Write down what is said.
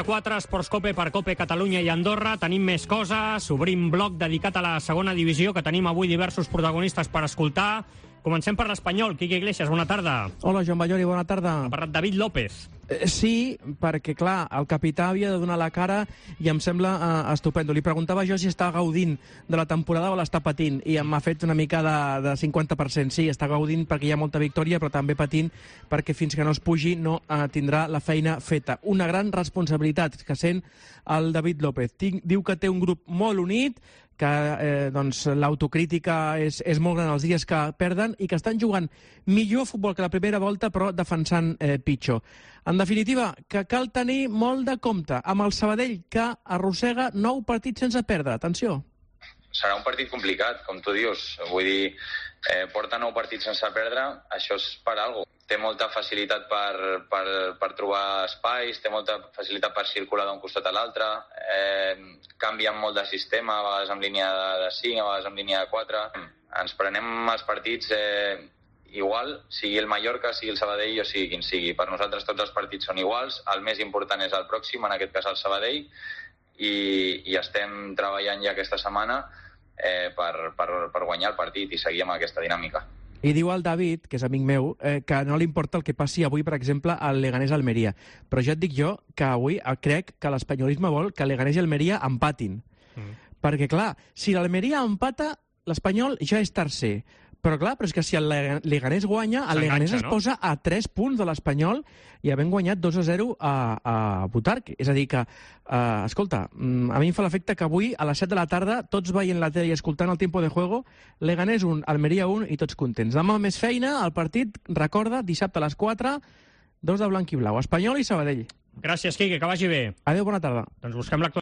de 4, Esports Cope per Cope Catalunya i Andorra. Tenim més coses, obrim bloc dedicat a la segona divisió, que tenim avui diversos protagonistes per escoltar. Comencem per l'Espanyol. Quique Iglesias, bona tarda. Hola, Joan Ballori, bona tarda. Ha parlat David López. Sí, perquè, clar, el capità havia de donar la cara i em sembla estupendo. Li preguntava jo si està gaudint de la temporada o l'està patint, i m'ha fet una mica de 50%. Sí, està gaudint perquè hi ha molta victòria, però també patint perquè fins que no es pugi no tindrà la feina feta. Una gran responsabilitat que sent el David López. Diu que té un grup molt unit, que l'autocrítica és molt gran els dies que perden i que estan jugant millor futbol que la primera volta, però defensant pitjor. En definitiva, que cal tenir molt de compte amb el Sabadell, que arrossega 9 partits sense perdre. Atenció. Serà un partit complicat, com tu dius. Vull dir, porta 9 partits sense perdre, això és per alguna cosa. Té molta facilitat per trobar espais, té molta facilitat per circular d'un costat a l'altre, canvien molt de sistema, a vegades amb línia de 5, a vegades amb línia de 4. Ens prenem els partits igual, sigui el Mallorca, sigui el Sabadell o sigui quin sigui. Per nosaltres tots els partits són iguals, el més important és el pròxim, en aquest cas el Sabadell, i estem treballant ja aquesta setmana per guanyar el partit i seguir amb aquesta dinàmica. I diu el David, que és amic meu, que no li importa el que passi avui, per exemple, al Leganés-Almeria. Però ja et dic jo que avui crec que l'espanyolisme vol que Leganés i Almeria empatin. Perquè, clar, si l'Almeria empata, l'Espanyol ja és tercer. Però és que si el Leganés guanya, el Leganés es posa a 3 punts de l'Espanyol i havent guanyat 2-0 a Butarque. És a dir que, escolta, a mi em fa l'efecte que avui a les 7 de la tarda, tots veient la tele i escoltant el Tiempo de Juego, Leganés 1, Almeria 1 i tots contents. Demà més feina, el partit, recorda, dissabte a les 4, 2 de blanc i blau, Espanyol i Sabadell. Gràcies, Quique, que vagi bé. Adéu, bona tarda. Doncs busquem l'actualitat.